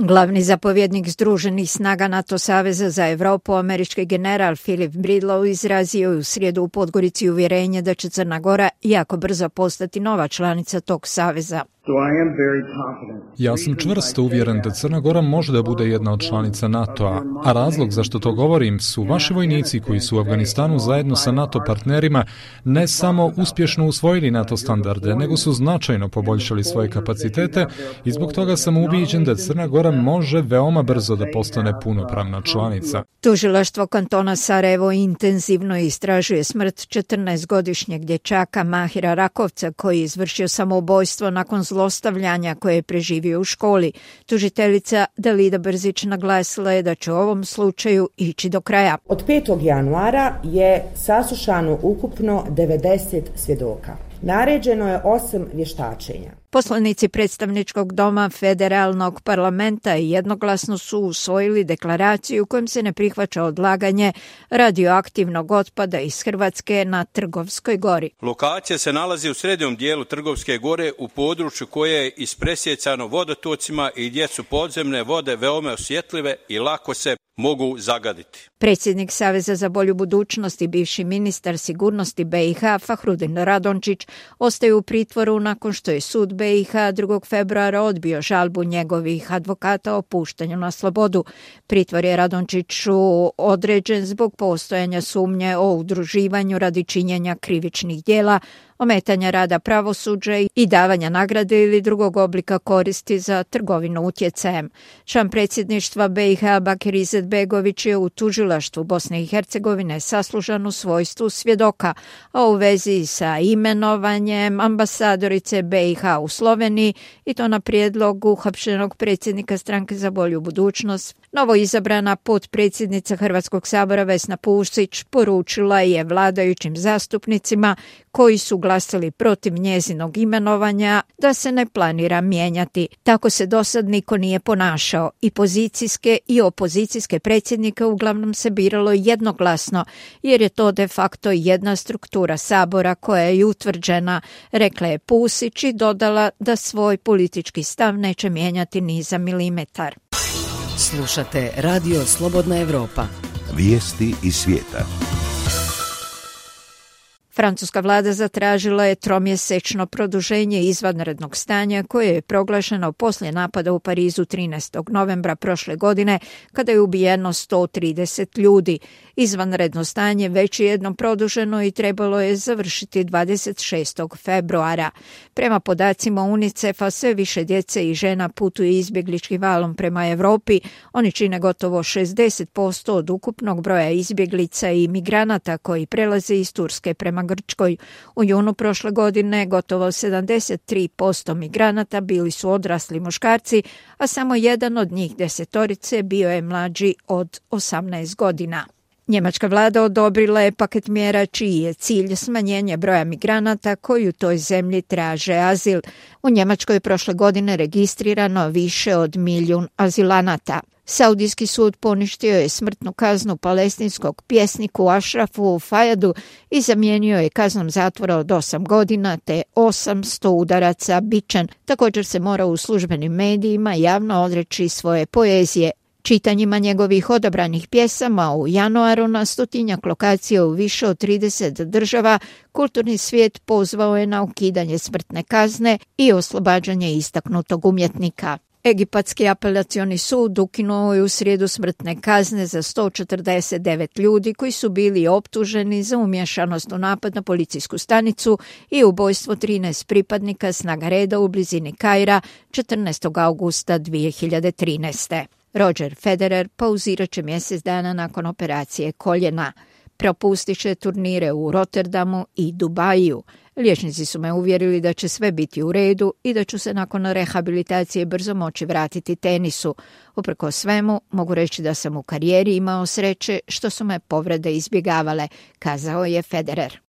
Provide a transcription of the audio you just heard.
Glavni zapovjednik Združenih snaga NATO saveza za Europu, američki general Philip Bridlow, izrazio je u srijedu u Podgorici uvjerenje da će Crna Gora jako brzo postati nova članica tog saveza. Ja sam čvrsto uvjeren da Crna Gora može da bude jedna od članica NATO-a, a razlog zašto to govorim su vaši vojnici koji su u Afganistanu zajedno sa NATO partnerima ne samo uspješno usvojili NATO standarde, nego su značajno poboljšali svoje kapacitete i zbog toga sam ubijeđen da Crna Gora može veoma brzo da postane punopravna članica. Tužilaštvo kantona Sarajevo intenzivno istražuje smrt 14-godišnjeg dječaka Mahira Rakovca koji je izvršio samoubojstvo nakon zlostavljanja koje je preživio u školi. Tužiteljica Dalida Brzić naglasila je da će u ovom slučaju ići do kraja. Od 5. januara je saslušano ukupno 90 svjedoka. Naređeno je 8 vještačenja. Poslanici predstavničkog doma federalnog parlamenta jednoglasno su usvojili deklaraciju kojom se ne prihvaća odlaganje radioaktivnog otpada iz Hrvatske na Trgovskoj gori. Lokacija se nalazi u srednjem dijelu Trgovske gore u području koje je ispresjecano vodotocima i gdje su podzemne vode veoma osjetljive i lako se mogu zagaditi. Predsjednik Saveza za bolju budućnost i bivši ministar sigurnosti BiH Fahrudin Radončić ostaje u pritvoru nakon što je sud BiH 2. februara odbio žalbu njegovih advokata o puštanju na slobodu. Pritvor je Radončiću određen zbog postojanja sumnje o udruživanju radi činjenja krivičnih djela, ometanja rada pravosuđa i davanja nagrade ili drugog oblika koristi za trgovinu utjecajem. Član predsjedništva BiH Bakir Izetbegović je u tužilaštvu Bosne i Hercegovine saslušan u svojstvu svjedoka, a u vezi sa imenovanjem ambasadorice BiH u Sloveniji i to na prijedlog uhapšenog predsjednika Stranke za bolju budućnost. Novo izabrana potpredsjednica Hrvatskog sabora Vesna Pusić poručila je vladajućim zastupnicima koji su glasali protiv njezinog imenovanja da se ne planira mijenjati. Tako se dosad niko nije ponašao. I pozicijske i opozicijske predsjednike uglavnom se biralo jednoglasno, jer je to de facto jedna struktura sabora koja je utvrđena, rekla je Pusić i dodala da svoj politički stav neće mijenjati ni za milimetar. Slušate Radio Slobodna Evropa. Vijesti iz svijeta. Francuska vlada zatražila je tromjesečno produženje izvanrednog stanja koje je proglašeno poslije napada u Parizu 13. novembra prošle godine kada je ubijeno 130 ljudi. Izvanredno stanje već je jednom produženo i trebalo je završiti 26. februara. Prema podacima UNICEF-a sve više djece i žena putuje izbjegličkim valom prema Europi. Oni čine gotovo 60% od ukupnog broja izbjeglica i migranata koji prelaze iz Turske prema Grčkoj. U junu prošle godine gotovo 73% migranata bili su odrasli muškarci, a samo jedan od njih 10 bio je mlađi od 18 godina. Njemačka vlada odobrila je paket mjera čiji je cilj smanjenje broja migranata koji u toj zemlji traže azil. U Njemačkoj je prošle godine registrirano više od 1 milijun azilanata. Saudijski sud poništio je smrtnu kaznu palestinskog pjesniku Ašrafu Fajadu i zamijenio je kaznom zatvora od 8 godina te 800 udaraca bičem. Također se mora u službenim medijima javno odreći svoje poezije. Čitanjima njegovih odabranih pjesama u januaru na 100-tinjak lokacija u više od 30 država kulturni svijet pozvao je na ukidanje smrtne kazne i oslobađanje istaknutog umjetnika. Egipatski apelacioni sud ukinuo je u srijedu smrtne kazne za 149 ljudi koji su bili optuženi za umješanost u napad na policijsku stanicu i ubojstvo 13 pripadnika snaga reda u blizini Kaira 14. augusta 2013. Roger Federer pauzirat će mjesec dana nakon operacije koljena. Propustit će turnire u Rotterdamu i Dubaju. Liječnici su me uvjerili da će sve biti u redu i da ću se nakon rehabilitacije brzo moći vratiti tenisu. Uprkos svemu, mogu reći da sam u karijeri imao sreće što su me povrede izbjegavale, kazao je Federer.